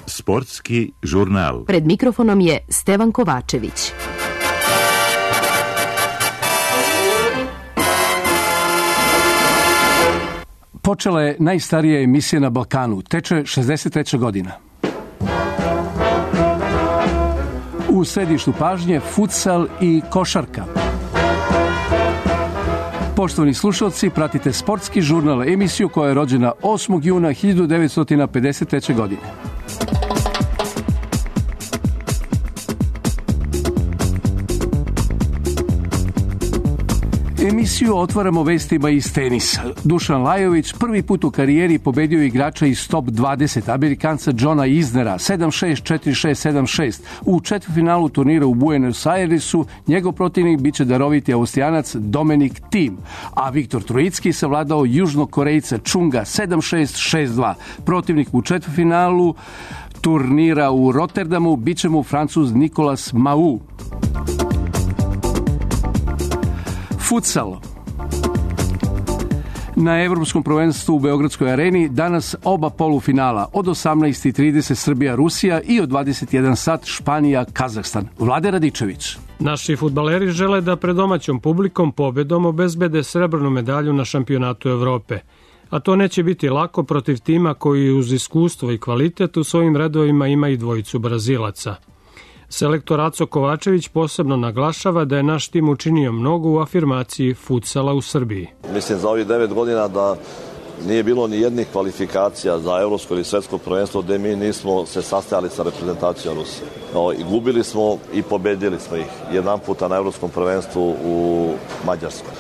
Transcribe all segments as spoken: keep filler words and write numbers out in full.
Sportski žurnal. Pred mikrofonom je Stevan Kovačević. Počela je najstarija emisija na Balkanu, teče šezdeset treća godina. U središtu pažnje futsal i košarka. Poštovani slušalci, pratite Sportski žurnal, emisiju koja je rođena osmog juna hiljadu devetsto pedeset treće. godine. Emisiju otvaramo vestima iz tenisa. Dušan Lajović prvi put u karijeri pobedio igrača iz top dvadeset, Amerikanca Johna Isnera, sedam šest, četiri šest, sedam šest. U četvrtfinalu turnira u Buenos Airesu njegov protivnik biće daroviti Austrijanac Dominik Thiem, a Viktor Trojicki savladao Južnog Korejca Chunga sedam šest, šest dva. Protivnik u četvrtfinalu turnira u Rotterdamu biće mu Francuz Nicolas Mahut. Futsal. Na Evropskom prvenstvu u Beogradskoj areni danas oba polufinala od osamnaest i trideset Srbija-Rusija i od dvadeset jedan sat Španija-Kazahstan. Vlade Radičević. Naši fudbaleri žele da pred domaćom publikom pobedom obezbede srebrnu medalju na šampionatu Evrope. A to neće biti lako protiv tima koji uz iskustvo i kvalitet u svojim redovima ima i dvojicu Brazilaca. Selektor Aco Kovačević posebno naglašava da je naš tim učinio mnogo u afirmaciji futsala u Srbiji. Mislim za ovih devet godina da nije bilo ni jednih kvalifikacija za evropsko ili svetsko prvenstvo gde mi nismo se sastajali sa reprezentacijom Rusije. No, i gubili smo i pobedili smo ih jedan puta na evropskom prvenstvu u Mađarskoj.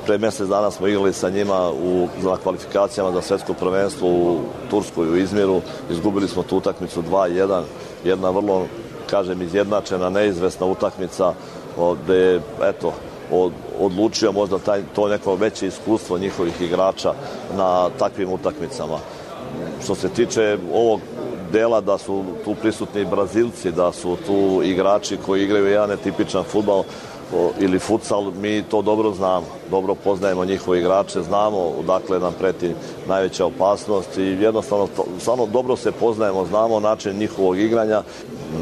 Pre mjesec dana smo igrali sa njima u, za kvalifikacijama za svetsko prvenstvo u Turskoj u Izmiru. Izgubili smo tu utakmicu dva jedan. Jedna vrlo, kažem, izjednačena, neizvesna utakmica gde je, eto, od, odlučio možda taj, to neko veće iskustvo njihovih igrača na takvim utakmicama. Što se tiče ovog dela da su tu prisutni Brazilci, da su tu igrači koji igraju jedan netipičan fudbal ili futsal, mi to dobro znamo. Dobro poznajemo njihove igrače, znamo odakle nam preti najveća opasnost i jednostavno stvarno dobro se poznajemo, znamo način njihovog igranja.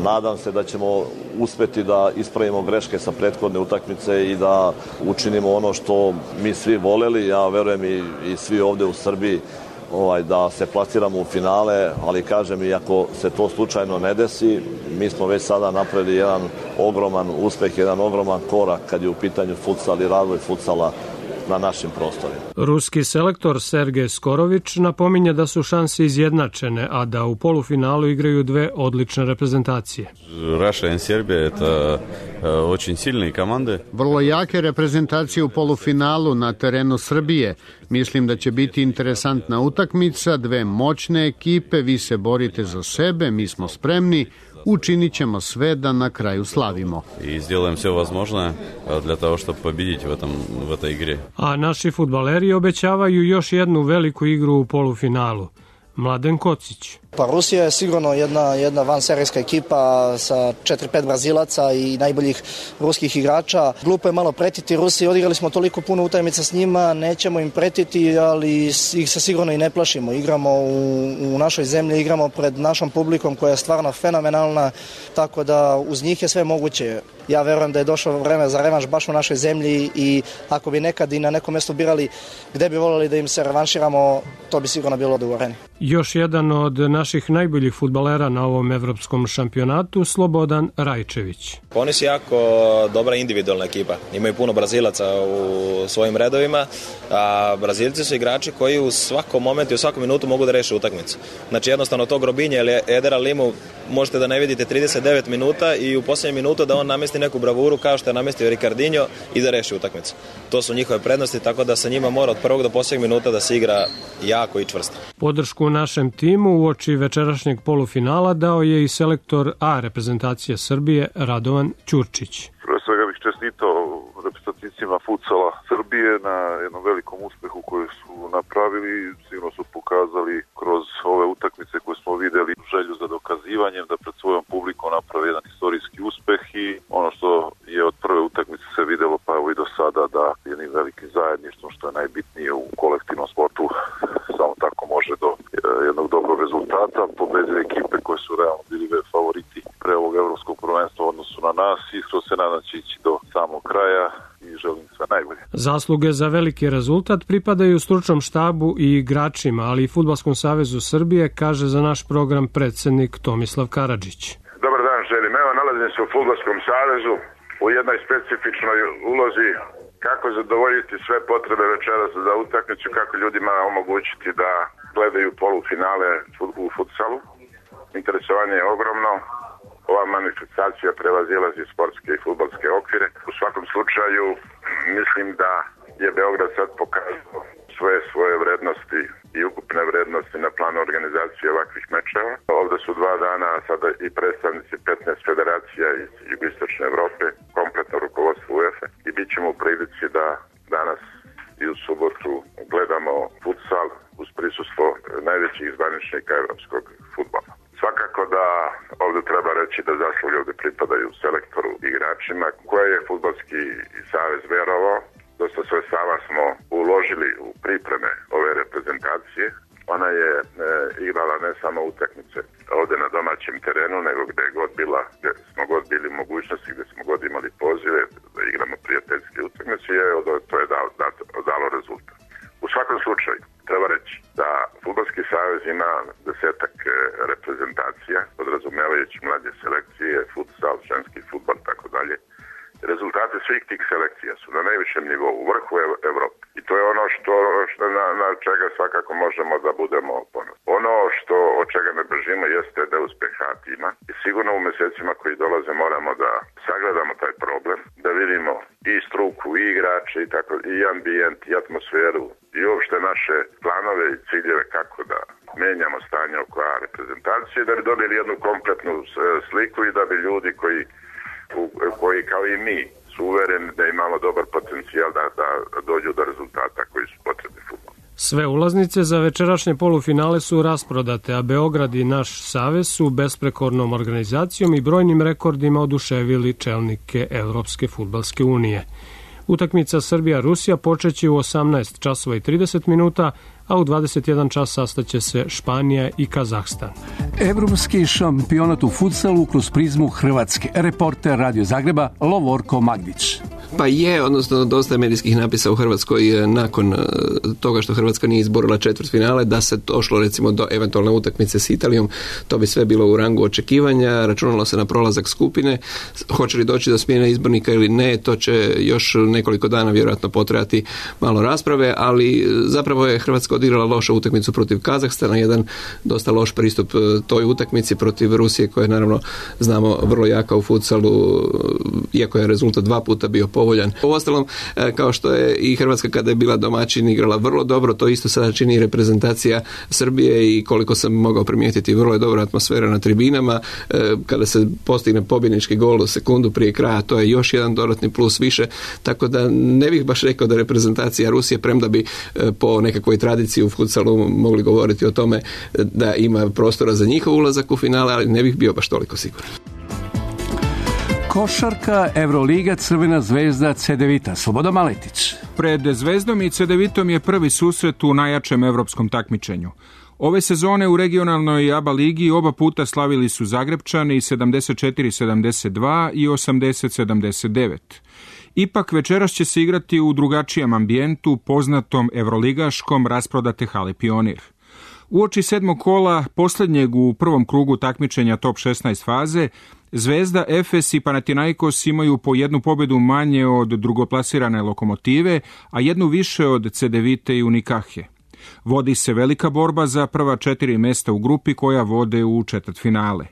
Nadam se da ćemo uspeti da ispravimo greške sa prethodne utakmice i da učinimo ono što mi svi voleli, ja verujem i, i svi ovde u Srbiji, ovaj, da se plasiramo u finale, ali kažem, i ako se to slučajno ne desi, mi smo već sada napravili jedan ogroman uspeh, jedan ogroman korak kad je u pitanju futsal i razvoj futsala na našim prostorima. Ruski selektor Sergej Skorović napominje da su šanse izjednačene, a da u polufinalu igraju dve odlične reprezentacije. Russia i Serbija je to очень сильные команды. Vrlo jake reprezentacije u polufinalu na terenu Srbije. Mislim da će biti interesantna utakmica, dve moćne ekipe, vi se borite za sebe, mi smo spremni. Učinit ćemo sve da na kraju slavimo. I сделаем все возможное для того, чтобы победить в этом в этой игре. A naši fudbaleri obećavaju još jednu veliku igru u polufinalu. Mladen Kocić. Pa Rusija je sigurno jedna, jedna vanserijska ekipa sa četiri pet Brazilaca i najboljih ruskih igrača. Glupo je malo pretiti Rusiji, odigrali smo toliko puno utakmica s njima, nećemo im pretiti, ali ih se sigurno i ne plašimo. Igramo u, u našoj zemlji, igramo pred našom publikom koja je stvarno fenomenalna, tako da uz njih je sve moguće. Ja verujem da je došlo vreme za revanš baš u našoj zemlji i ako bi nekad i na nekom mjestu birali gde bi voljeli da im se revanširamo, to bi sigurno bilo u Areni. Još jedan od naših najboljih fudbalera na ovom evropskom šampionatu, Slobodan Rajčević. Oni su jako dobra individualna ekipa. Imaju puno Brazilaca u svojim redovima, a Brazilci su igrači koji u svakom momentu i u svakom minutu mogu da reše utakmicu. Znači jednostavno tog Robinja ili Edera Limu možete da ne vidite trideset devet minuta i u posljednjem minutu da on namesti neku bravuru kao što je namestio Ricardinho i da reši utakmicu. To su njihove prednosti, tako da sa njima mora od prvog do posljednjeg minuta da se igra jako i čvrsto. Podršku našem timu uoči večerašnjeg polufinala dao je i selektor A reprezentacije Srbije Radovan Ćurčić. Prvo svega bih čestitao reprezentativcima futsala Srbije na jednom velikom uspehu koji su napravili. Sigurno su pokazali kroz ove utakmice koje smo videli želju za dokazivanjem da pred svojom publikom naprave jedan istorijski uspeh i ono što je od prve utakmice se videlo pa evo i do sada da jednim velikim zajedništvom, što je najbitnije u kolektivnom sportu. Samo tako može do jednog dobrog rezultata. Pobedile ekipe koje su realno bili favoriti pre ovog evropskog prvenstva u odnosu na nas. Iskro se nadam će ići do samog kraja i želim sve najbolje. Zasluge za veliki rezultat pripadaju stručnom štabu i igračima, ali i Fudbalskom savezu Srbije, kaže za naš program predsednik Tomislav Karadžić. Dobar dan, želim. Evo, nalazim se u Fudbalskom savezu u jednoj specifičnoj ulozi kako zadovoljiti sve potrebe večeras za utakmicu, kako ljudima omogućiti da gledaju polufinale u futsalu. Interesovanje je ogromno. Ova manifestacija prevazilazi sportske i fudbalske okvire. U svakom slučaju mislim da je Beograd sad pokazao svoje svoje vrednosti i ukupne vrednosti na planu organizacije ovakvih mečeva. Ovde su dva dana sada i predstavnici petnaest federacija iz jugoistočne Evrope, kompletno rukovodstvo UEFA i bit ćemo u prilici da danas i u subotu gledamo futsal uz prisustvo najvećih zvaničnika evropskog fudbala. Svakako da ovde treba reći da zasluge ovde pripadaju selektoru i igračima koje je Fudbalski savez verovao. Dosta sredstava smo uložili u pripreme ove reprezentacije. Ona je e, igrala ne samo utakmice ovde na domaćem terenu, nego gde je god bila, gde smo god bili mogućnosti, gde smo god imali pozive da igramo prijateljske utakmice i to je dalo, dalo rezultat. U svakom slučaju, treba reći da Fudbalski savez ima desetak reprezentacija, podrazumevajući mlađe selekcije, futsal, ženski fudbal, tako dalje. Rezultate svih tih selekcija su na najvišem nivou, u vrhu Evrope. I to je ono što, što na, na čega svakako možemo da budemo ponosni. Ono što od čega ne bežimo jeste da uspeha tima i sigurno u mesecima koji dolaze moramo da sagledamo taj problem, da vidimo i struku, i igrače, i, tako, i ambijent, i atmosferu, i uopšte naše planove i ciljeve kako da menjamo stanje oko reprezentacije, da bi dobili jednu kompletnu sliku i da bi ljudi koji koji kao i mi su uvereni da imamo dobar potencijal da, da dođu do rezultata koji su potrebni futbolu. Sve ulaznice za večerašnje polufinale su rasprodate, a Beograd i naš savez su besprekornom organizacijom i brojnim rekordima oduševili čelnike Evropske fudbalske unije. Utakmica Srbija-Rusija počeće u osamnaest časova i trideset minuta, a u dvadeset jedan čas sastaće se Španija i Kazahstan. Evropski šampionat u futsalu kroz prizmu Hrvatske. Reporter Radio Zagreba Lovorko Magdić. Pa je, odnosno dosta je medijskih napisa u Hrvatskoj nakon toga što Hrvatska nije izborila četvrtfinale, da se došlo recimo do eventualne utakmice s Italijom, to bi sve bilo u rangu očekivanja, računalo se na prolazak skupine, hoće li doći do smjene izbornika ili ne, to će još nekoliko dana vjerojatno potrajati malo rasprave, ali zapravo je Hrvatska odigrala lošu utakmicu protiv Kazahstana, jedan dosta loš pristup toj utakmici protiv Rusije, koja je naravno znamo vrlo jaka u futsalu, iako je rezultat dva puta bio povoljan. Uostalom, kao što je i Hrvatska kada je bila domaćin igrala vrlo dobro, to isto sada čini i reprezentacija Srbije i koliko sam mogao primijetiti, vrlo je dobra atmosfera na tribinama. Kada se postigne pobjednički gol u sekundu prije kraja, to je još jedan dodatni plus više, tako da ne bih baš rekao da reprezentacija Rusije, premda bi po nekakvoj tradiciji u futsalu mogli govoriti o tome da ima prostora za njihov ulazak u finale, ali ne bih bio baš toliko siguran. Košarka, Euroliga, Crvena zvezda, Cedevita. Slobodan Maletić. Pred Zvezdom i Cedevitom je prvi susret u najjačem evropskom takmičenju. Ove sezone u regionalnoj ABA ligi oba puta slavili su Zagrebčani sedamdeset četiri sedamdeset dva i osamdeset sedamdeset devet. Ipak večeras će se igrati u drugačijem ambijentu, poznatom evroligaškom rasprodate hali Pionir. Uoči sedmog kola, posljednjeg u prvom krugu takmičenja top šesnaest faze, Zvezda, Efes i Panathinaikos imaju po jednu pobjedu manje od drugoplasirane Lokomotive, a jednu više od Cedevite i Unikahe. Vodi se velika borba za prva četiri mjesta u grupi koja vode u četvrtfinale.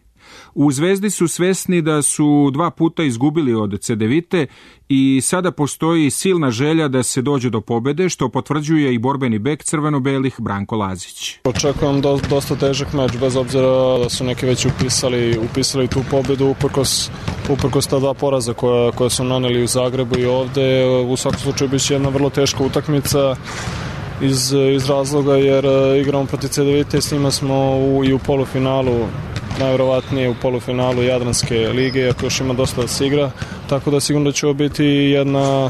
U Zvezdi su svesni da su dva puta izgubili od Cedevite i sada postoji silna želja da se dođe do pobjede, što potvrđuje i borbeni bek crveno-belih Branko Lazić. Očekujem do, dosta težak meč, bez obzira da su neki već upisali, upisali tu pobjedu uprkos, uprkos ta dva poraza koja, koja su naneli u Zagrebu i ovde. U svakom slučaju biće jedna vrlo teška utakmica iz, iz razloga jer igramo protiv Cedevite, s njima smo u, i u polufinalu, najvjerovatnije u polufinalu Jadranske lige, ako još ima dosta da se igra, tako da sigurno da će ovo biti jedna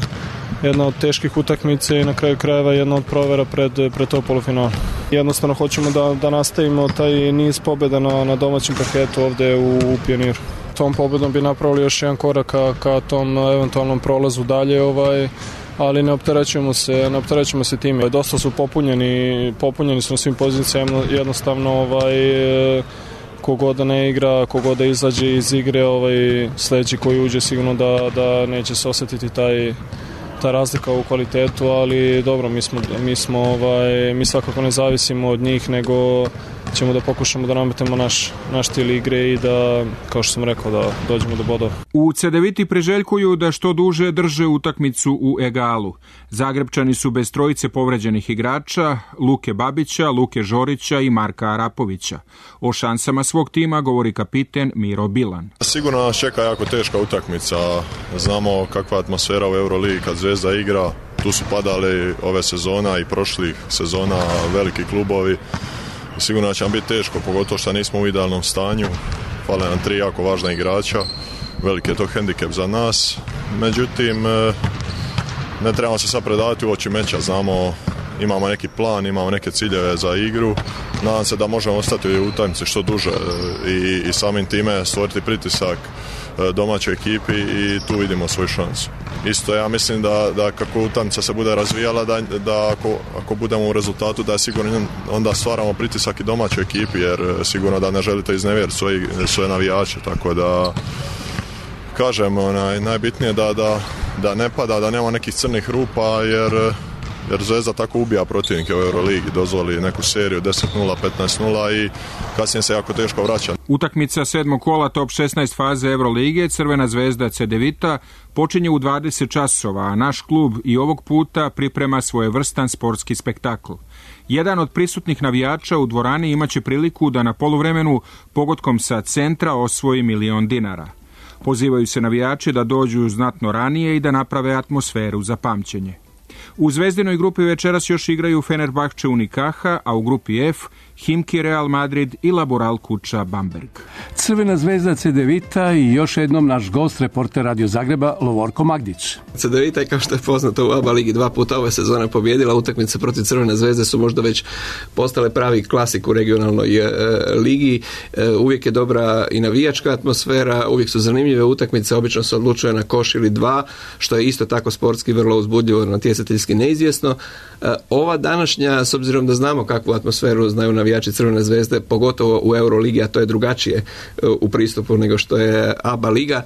jedna od teških utakmica i na kraju krajeva jedna od provera pred, pred to polufinale. Jednostavno hoćemo da, da nastavimo taj niz pobjeda na, na domaćem parketu ovde u, u Pioniru. Tom pobjedom bi napravili još jedan korak ka, ka tom eventualnom prolazu dalje, ovaj, ali ne opterećujemo se, ne opterećujemo se time. Dosta su popunjeni, popunjeni su na svim pozicijama, jednostavno ovaj, kogod da ne igra, kogod da izađe iz igre, ovaj, sledeći koji uđe sigurno da, da neće se osjetiti taj, ta razlika u kvalitetu, ali dobro, mi smo, mi smo ovaj, mi svakako ne zavisimo od njih, nego ćemo da pokušamo da nametemo naš, naš stil igre i da, kao što sam rekao, da dođemo do bodova. U Cedeviti priželjkuju da što duže drže utakmicu u egalu. Zagrebčani su bez trojice povređenih igrača, Luke Babića, Luke Žorića i Marka Arapovića. O šansama svog tima govori kapiten Miro Bilan. Sigurno nas čeka jako teška utakmica. Znamo kakva atmosfera u Euroligi kad Zvezda igra. Tu su padali ove sezona i prošlih sezona veliki klubovi. Sigurno će nam biti teško, pogotovo što nismo u idealnom stanju. Fale nam tri jako važna igrača. Veliki je to hendikep za nas. Međutim, ne trebamo se sad predavati u oči meča. Znamo, imamo neki plan, imamo neke ciljeve za igru. Nadam se da možemo ostati u utakmici što duže i, i samim time stvoriti pritisak domaćoj ekipi i tu vidimo svoju šansu. Isto ja mislim da, da kako utakmica se bude razvijala, da, da ako, ako budemo u rezultatu, da je sigurno onda stvaramo pritisak i domaćoj ekipi, jer sigurno da ne želite iznevjeriti svoje, svoje navijače, tako da kažem, onaj, najbitnije da, da, da ne pada, da nema nekih crnih rupa, jer jer Zvezda tako ubija protivnike u Euroligi, dozvoli neku seriju deset nula, petnaest nula i kasnije se jako teško vraća. Utakmica sedmog kola top šesnaest faze Eurolige Crvena Zvezda Cedevita počinje u dvadeset časova, a naš klub i ovog puta priprema svojevrstan sportski spektakl. Jedan od prisutnih navijača u dvorani imaće priliku da na poluvremenu pogodkom sa centra osvoji milion dinara. Pozivaju se navijači da dođu znatno ranije i da naprave atmosferu za pamćenje. U Zvezdinoj grupi večeras još igraju Fenerbahče Unikaha, a u grupi F Himki Real Madrid i Laboral Kuča Bamberg. Crvena Zvezda Cedevita i još jednom naš gost, reporter Radio Zagreba Lovorko Magdić. Cedevita je, kao što je poznato, u A B A ligi dva puta ove sezone pobjedila. Utakmice protiv Crvene Zvezde su možda već postale pravi klasik u regionalnoj e, ligi. E, uvijek je dobra i navijačka atmosfera, uvijek su zanimljive utakmice, obično se odlučuje na koš ili dva, što je isto tako sportski vrlo uzbudljivo, natjecateljski neizvjesno. E, ova današnja, s obzirom da znamo kakvu atmosferu znaju navijači Crvene Zvezde, pogotovo u Euroligi, a to je drugačije u pristupu nego što je A B A liga,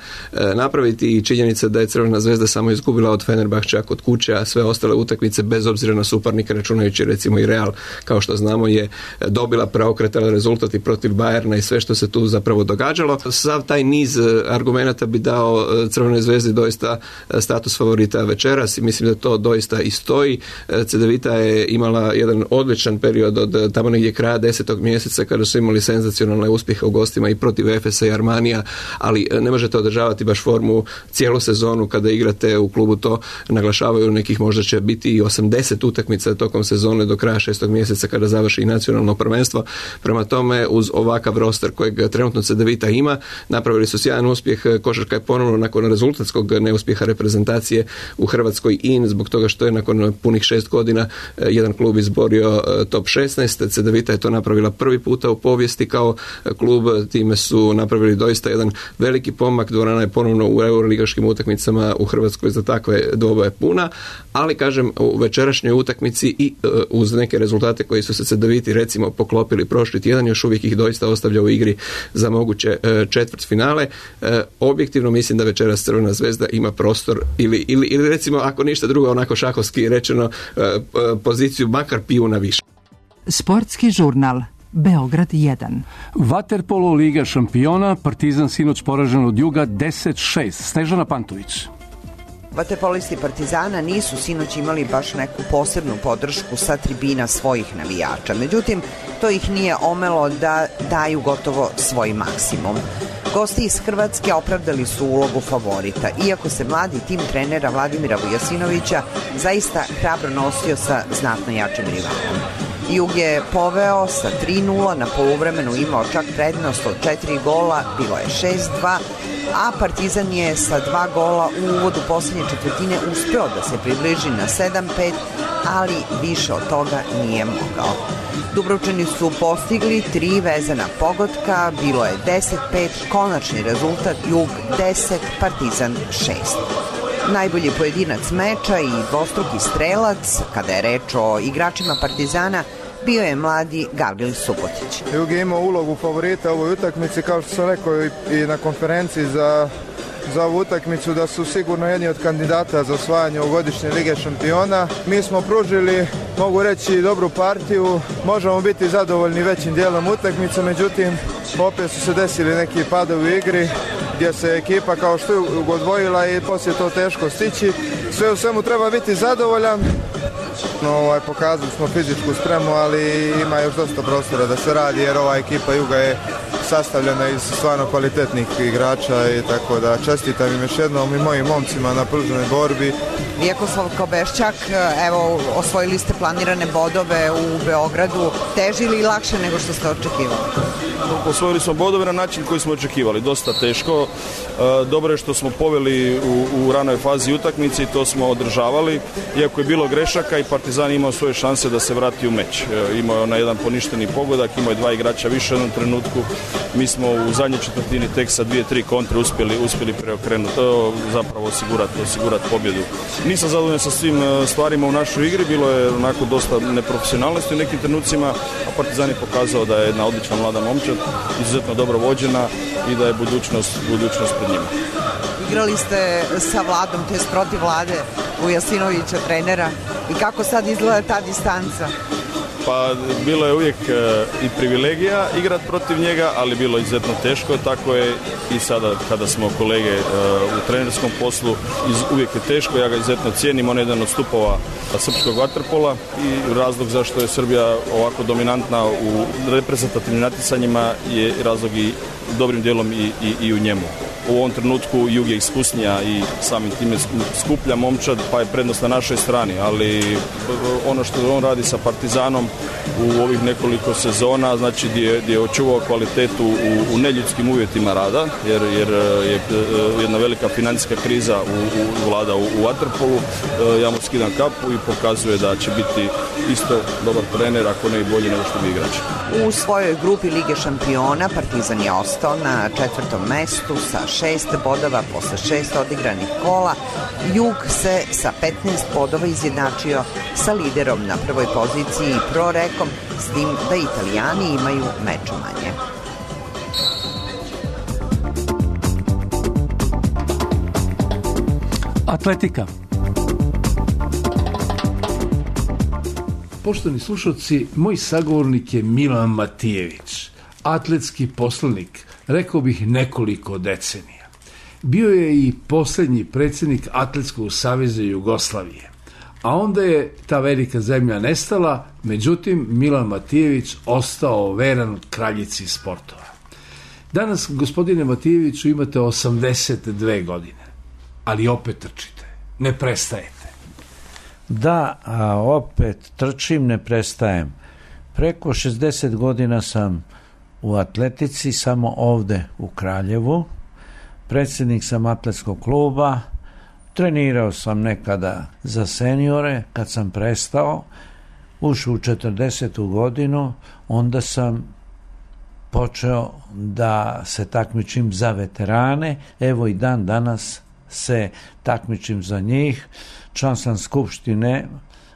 napraviti i činjenica da je Crvena Zvezda samo izgubila od Fenerbahča kod kuće, a sve ostale utakmice bez obzira na suparnika, računajući recimo i Real, kao što znamo, je dobila preokretala rezultat i protiv Bayerna i sve što se tu zapravo događalo. Sav taj niz argumenata bi dao Crvenoj Zvezdi doista status favorita večeras i mislim da to doista i stoji. Cedevita je imala jedan odličan period od tamo negdje kraja desetog mjeseca kada su imali senzacionalne uspjehe u gostima i protiv Efesa i Armanija, ali ne možete održavati baš formu cijelu sezonu kada igrate u klubu, to naglašavaju nekih, možda će biti i osamdeset utakmica tokom sezone do kraja šestog mjeseca kada završi i nacionalno prvenstvo. Prema tome, uz ovakav roster kojeg trenutno Cedevita ima, napravili su sjajan uspjeh. Košarka je ponovno nakon rezultatskog neuspjeha reprezentacije u Hrvatskoj in, zbog toga što je nakon punih šest godina jedan klub izborio top šesnaest. Cedevita je to napravila prvi puta u povijesti kao klub, time su napravili doista jedan veliki pomak. Dvorana je ponovno u euroligaškim utakmicama u Hrvatskoj za takve dvoboje puna, ali kažem, u večerašnjoj utakmici i uh, uz neke rezultate koji su se Cedeviti recimo poklopili prošli tjedan, još uvijek ih doista ostavlja u igri za moguće uh, četvrt finale. Uh, objektivno mislim da večeras Crvena Zvezda ima prostor ili, ili, ili recimo, ako ništa drugo, onako šahovski rečeno, uh, uh, poziciju makar pijuna više. Sportski žurnal Beograd jedan. Vaterpolo Liga šampiona, Partizan sinoć poražen od Juga deset šest. Snežana Pantović. Vaterpolisti Partizana nisu sinoć imali baš neku posebnu podršku sa tribina svojih navijača. Međutim, to ih nije omelo da daju gotovo svoj maksimum. Gosti iz Hrvatske opravdali su ulogu favorita, iako se mladi tim trenera Vladimira Vujasinovića zaista hrabro nosio sa znatno jačim rivalom. Jug je poveo sa tri nula, na poluvremenu imao čak prednost od četiri gola, bilo je šest dva. a Partizan je sa dva gola u uvodu posljednje četvrtine uspeo da se približi na sedam pet, ali više od toga nije mogao. Dubrovčani su postigli tri vezana pogotka, bilo je deset pet, konačni rezultat Jug deset, Partizan šest. Najbolji pojedinac meča i dvostruki strelac, kada je reč o igračima Partizana, bio je mladi Gavril Subotić. Jug je imao ulogu favorita u ovoj utakmici, kao što sam rekao i na konferenciji za, za ovu utakmicu, da su sigurno jedni od kandidata za osvajanje ovogodišnje Lige šampiona. Mi smo pružili, mogu reći, dobru partiju, možemo biti zadovoljni većim dijelom utakmice, međutim, opet su se desili neki padovi u igri, gdje se ekipa kao što je odvojila i poslije to teško stići. Sve u svemu treba biti zadovoljan. No, ovaj, pokazali smo fizičku spremu, ali ima još dosta prostora da se radi, jer ova ekipa Juga je sastavljena iz stvarno kvalitetnih igrača i tako da čestitam im još jednom i mojim momcima na pruženoj borbi. Vjekoslav Kobeščak, evo, osvojili ste planirane bodove u Beogradu, teže ili lakše nego što ste očekivali? Osvojili smo bodove na način koji smo očekivali, dosta teško. Dobro je što smo poveli u, u ranoj fazi utakmice i to smo održavali, iako je bilo grešaka i Partizan imao svoje šanse da se vrati u meč. Imao je onaj jedan poništeni pogodak, imao je dva igrača više u jednom trenutku. Mi smo u zadnjoj četvrtini tek sa dvije, tri kontre uspjeli, uspjeli preokrenuti, zapravo osigurati, osigurati pobjedu. Nisam zadovoljan sa svim stvarima u našoj igri, bilo je onako dosta neprofesionalnosti u nekim trenucima, a Partizan je pokazao da je jedna odlična mlada momčad, izuzetno dobro vođena i da je budućnost, budućnost pred njima. Igrali ste sa Vladom, tj. protiv Vlade Vujasinovića, trenera, i kako sad izgleda ta distanca? Pa bilo je uvijek e, i privilegija igrati protiv njega, ali bilo je izuzetno teško, tako je i sada kada smo kolege e, u trenerskom poslu, iz, uvijek je teško, ja ga izuzetno cijenim, on je jedan od stupova srpskog vaterpola i razlog zašto je Srbija ovako dominantna u reprezentativnim natjecanjima je razlog i dobrim dijelom i, i, i u njemu. U ovom trenutku Jug je iskusnija i samim time skuplja momčad, pa je prednost na našoj strani, ali ono što on radi sa Partizanom u ovih nekoliko sezona, znači gdje, gdje je očuvao kvalitetu u, u neljudskim uvjetima rada, jer, jer je jedna velika financijska kriza u, u vlada u, u vaterpolu, ja mu skidam kapu i pokazuje da će biti isto dobar trener, ako ne i bolji nego što bi igrač. U svojoj grupi Lige šampiona Partizan je ostao na četvrtom mestu sa šest bodova posle šest odigranih kola. Jug se sa petnaest bodova izjednačio sa liderom na prvoj poziciji Prorekom, s tim da Italijani imaju meč manje. Atletika. Poštovani slušalci, moj sagovornik je Milan Matijević, atletski poslanik, rekao bih nekoliko decenija. Bio je i posljednji predsjednik Atletskog saveza Jugoslavije, a onda je ta velika zemlja nestala, međutim Milan Matijević ostao veran kraljici sportova. Danas, gospodine Matijeviću, imate osamdeset dve godine, ali opet trčite, ne prestajete. Da, a opet trčim, ne prestajem. Preko šezdeset godina sam u atletici, samo ovde u Kraljevu. Predsjednik sam atletskog kluba, trenirao sam nekada za seniore, kad sam prestao, ušao u četrdesetu godinu, onda sam počeo da se takmičim za veterane, evo i dan danas se takmičim za njih, član sam Skupštine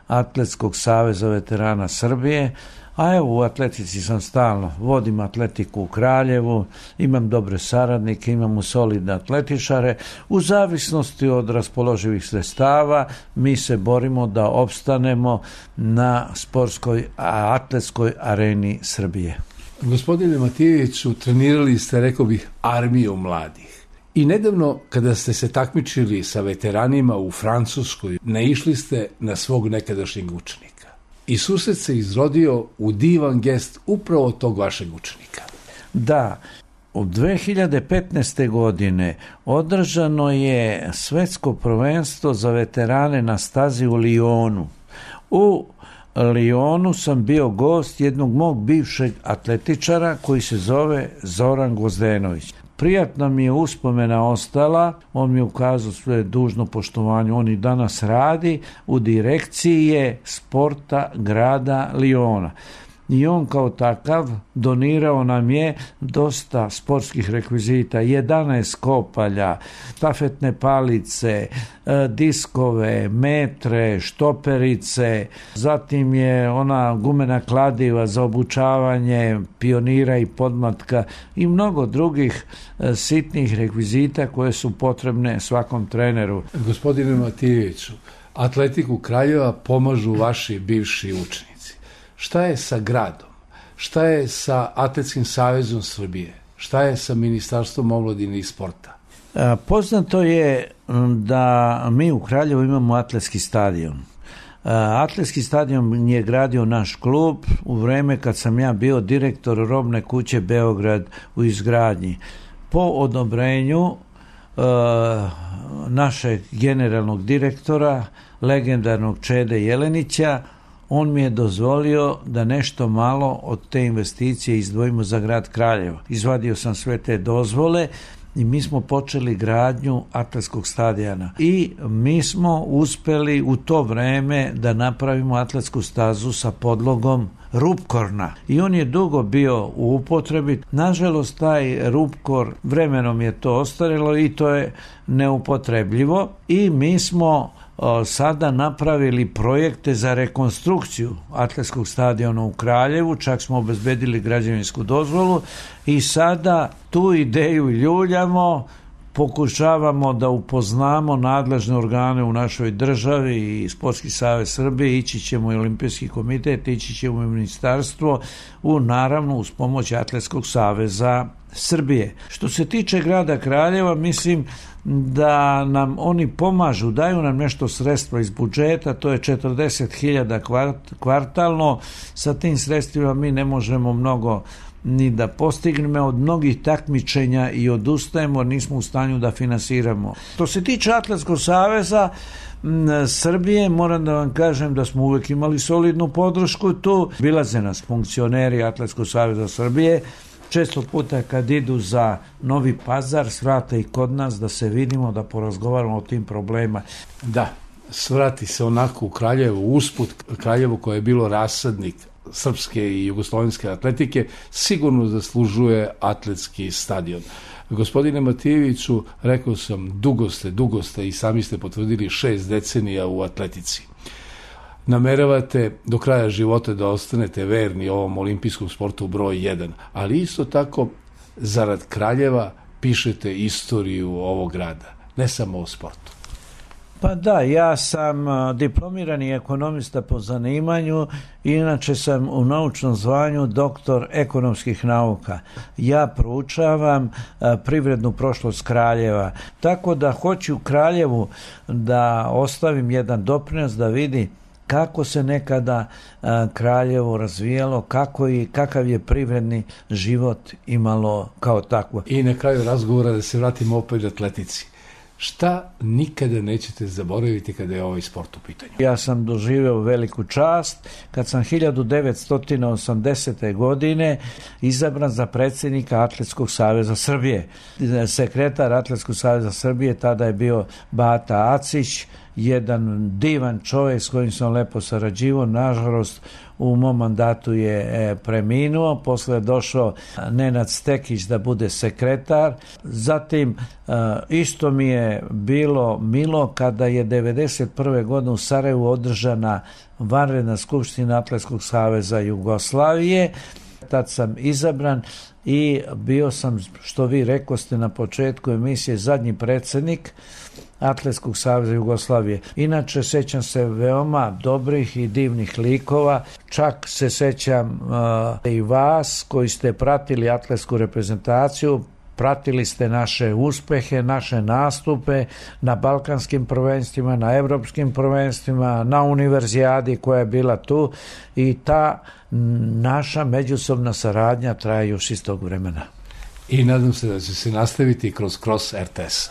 Atletskog saveza veterana Srbije, a evo u atletici sam stalno, vodim atletiku u Kraljevu, imam dobre saradnike, imamo solidne atletičare, u zavisnosti od raspoloživih sredstava mi se borimo da opstanemo na sportskoj, a atletskoj areni Srbije. Gospodine Matijeviću, trenirali ste, rekao bih, armiju mladih. I nedavno, kada ste se takmičili sa veteranima u Francuskoj, naišli ste na svog nekadašnjeg učenika. I susret se izrodio u divan gest upravo tog vašeg učenika. Da, u dve hiljade petnaeste. godine održano je svetsko prvenstvo za veterane na stazi u Lyonu. U Lyonu sam bio gost jednog mog bivšeg atletičara koji se zove Zoran Gozdenović. prijatna mi je uspomena ostala, on mi je ukazao sve dužno poštovanje, on i danas radi u direkciji je sporta grada Liona. I on kao takav donirao nam je dosta sportskih rekvizita, jedanaest kopalja, štafetne palice, diskove, metre, štoperice, zatim je ona gumena kladiva za obučavanje pionira i podmlatka i mnogo drugih sitnih rekvizita koje su potrebne svakom treneru. Gospodine Matijeviću, Atletiku Kraljeva pomažu vaši bivši učenici. Šta je sa gradom? Šta je sa Atletskim savezom Srbije? Šta je sa Ministarstvom omladine i sporta? Poznato je da mi u Kraljevu imamo atletski stadion. Atletski stadion je gradio naš klub u vreme kad sam ja bio direktor robne kuće Beograd u izgradnji. Po odobrenju e, našeg generalnog direktora, legendarnog Čede Jelenića, on mi je dozvolio da nešto malo od te investicije izdvojimo za grad Kraljevo. Izvadio sam sve te dozvole i mi smo počeli gradnju atletskog stadiona. I mi smo uspeli u to vreme da napravimo atletsku stazu sa podlogom rupkorna. I on je dugo bio u upotrebi. Nažalost, taj rupkor vremenom je to ostarilo i to je neupotrebljivo. I mi smo sada napravili projekte za rekonstrukciju atletskog stadiona u Kraljevu, čak smo obezbedili građevinsku dozvolu i sada tu ideju ljuljamo, pokušavamo da upoznamo nadležne organe u našoj državi i Sportski savez Srbije, ići ćemo i Olimpijski komitet, ići ćemo i ministarstvo, u naravno uz pomoć Atletskog saveza Srbije. Što se tiče grada Kraljeva, mislim da nam oni pomažu, daju nam nešto sredstva iz budžeta, to je četrdeset hiljada kvartalno, sa tim sredstvima mi ne možemo mnogo ni da postignemo, od mnogih takmičenja i odustajemo, nismo u stanju da finansiramo. Što se tiče Atletskog saveza Srbije, moram da vam kažem da smo uvek imali solidnu podršku tu, bilaze nas funkcioneri Atletskog saveza Srbije, često puta kad idu za Novi Pazar, svrate i kod nas da se vidimo, da porazgovaramo o tim problema. Da, svrati se onako u Kraljevu, usput Kraljevu koje je bilo rasadnik srpske i jugoslovenske atletike, sigurno zaslužuje atletski stadion. Gospodine Matijeviću, rekao sam, dugo ste, dugo ste i sami ste potvrdili šest decenija u atletici. Nameravate do kraja života da ostanete verni ovom olimpijskom sportu broj jedan, ali isto tako zarad Kraljeva pišete istoriju ovog grada, ne samo o sportu. Pa da, ja sam diplomirani ekonomista po zanimanju, inače sam u naučnom zvanju doktor ekonomskih nauka. Ja proučavam privrednu prošlost Kraljeva, tako da hoću Kraljevu da ostavim jedan doprinos da vidi kako se nekada a, Kraljevo razvijalo, kako i kakav je privredni život imalo kao takvo. I na kraju razgovora da se vratimo opet atletici. Šta nikada nećete zaboraviti kada je ovaj sport u pitanju? Ja sam doživeo veliku čast kad sam hiljadu devetsto osamdesete. godine izabran za predsjednika Atletskog saveza Srbije. Sekretar Atletskog saveza Srbije tada je bio Bata Acić, jedan divan čovjek s kojim sam lepo sarađivao. Nažalost, u mom mandatu je preminuo, posle je došao Nenad Stekić da bude sekretar. Zatim isto mi je bilo milo kada je devedeset prve. godine u Sarajevu održana vanredna skupština Atletskog saveza Jugoslavije. Tad sam izabran i bio sam, što vi rekoste na početku emisije, zadnji predsjednik Atletskog saveza Jugoslavije. Inače, sećam se veoma dobrih i divnih likova, čak se sećam uh, i vas koji ste pratili atletsku reprezentaciju, pratili ste naše uspehe, naše nastupe na balkanskim prvenstvima, na evropskim prvenstvima, na univerzijadi koja je bila tu i ta naša međusobna saradnja traje još iz tog vremena. I nadam se da će se nastaviti kroz Cross R T S.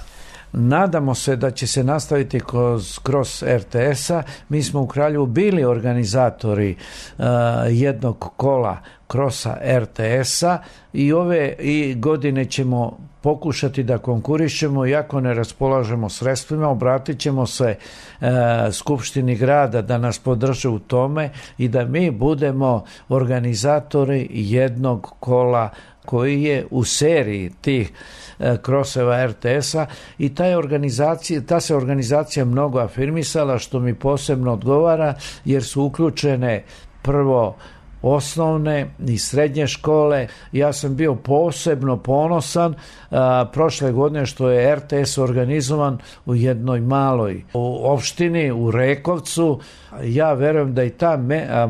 Nadamo se da će se nastaviti kroz Cross R T S-a. Mi smo u Kraljevu bili organizatori uh, jednog kola Crossa R T S-a i ove i godine ćemo pokušati da konkurišemo, iako ne raspolažemo sredstvima, obratit ćemo se e, Skupštini grada da nas podrže u tome i da mi budemo organizatori jednog kola koji je u seriji tih e, kroseva er te esa i ta, je organizacija, ta se organizacija mnogo afirmisala, što mi posebno odgovara, jer su uključene prvo osnovne i srednje škole. Ja sam bio posebno ponosan a, prošle godine što je er te es organizovan u jednoj maloj u opštini u Rekovcu. Ja verujem da i ta me, a,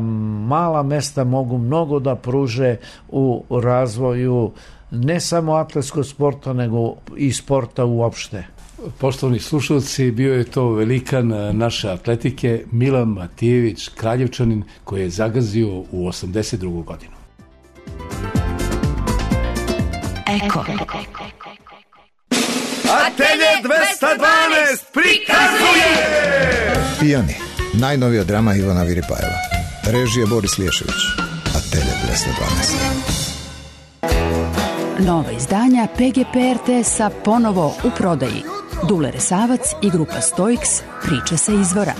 mala mesta mogu mnogo da pruže u razvoju ne samo atletskog sporta, nego i sporta uopšte. Poštovani slušalci, bio je to velikan naše atletike Milan Matijević, Kraljevčanin, koji je zagazio u osamdeset drugu godinu. Eko. Atelje dvesta dvanaest prikazuje Pijani, najnovija drama Ivana Viripajeva. Režija Boris Liješević. Atelje dvesta dvanaest. Nova izdanja pe ge pe er te esa ponovo u prodaji. Dule Resavac i grupa Stoiks, priče sa izvora.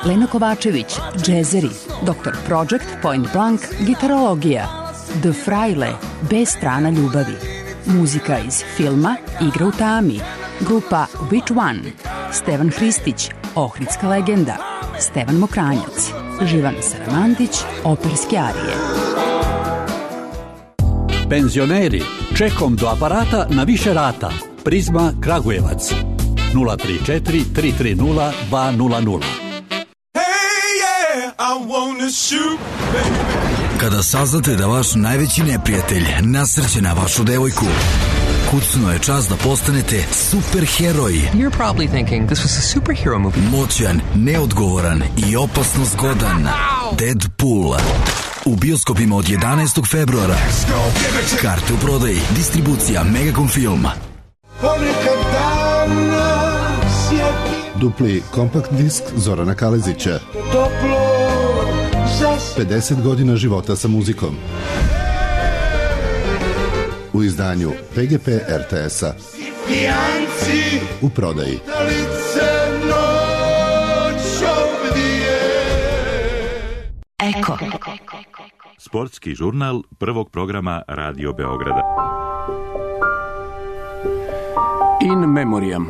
Lena Kovačević, džezeri. doktor Project, Point Blank, gitarologija. The Fraile, B strana ljubavi. Muzika iz filma Igra u tami. Grupa Which One. Stevan Hristić, Ohridska legenda. Stevan Mokranjac. Živan Saramandić, operske arije. Penzioneri, čekom do aparata na više rata. Prizma Kragujevac. nula tri četiri tri tri nula dva nula nula. Kada saznate da vaš najveći neprijatelj nasrće na vašu devojku, kucno je čas da postanete superheroj. You're probably thinking this was a superhero movie. Moćan, neodgovoran i opasno zgodan. Deadpool. U bioskopima od jedanaestog februara. Karte u prodaji. Distribucija Megacom Film. Dupli kompakt disk Zorana Kalezića. pedeset godina života sa muzikom. U izdanju pe ge pe er te esa. U prodaji. Eko. Sportski žurnal prvog programa Radio Beograda. In memoriam.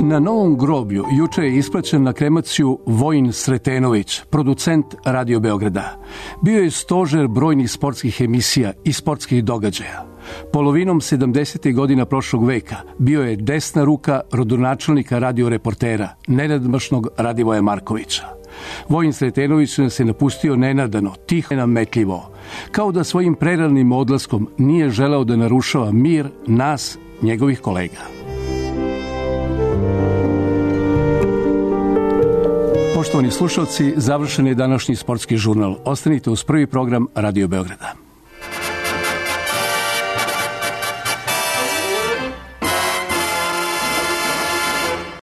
Na Novom groblju juče je ispraćen na kremaciju Vojin Sretenović, producent Radio Beograda. Bio je stožer brojnih sportskih emisija i sportskih događaja. Polovinom sedamdesetih godina prošlog veka bio je desna ruka rodonačelnika radioreportera, nenadmašnog Radivoja Markovića. Vojin Sretenović nas je napustio nenadano, tiho i nametljivo, kao da svojim preranim odlaskom nije želeo da narušava mir nas, njegovih kolega. Poštovani slušalci, završen je današnji sportski žurnal. Ostanite uz prvi program Radio Beograda.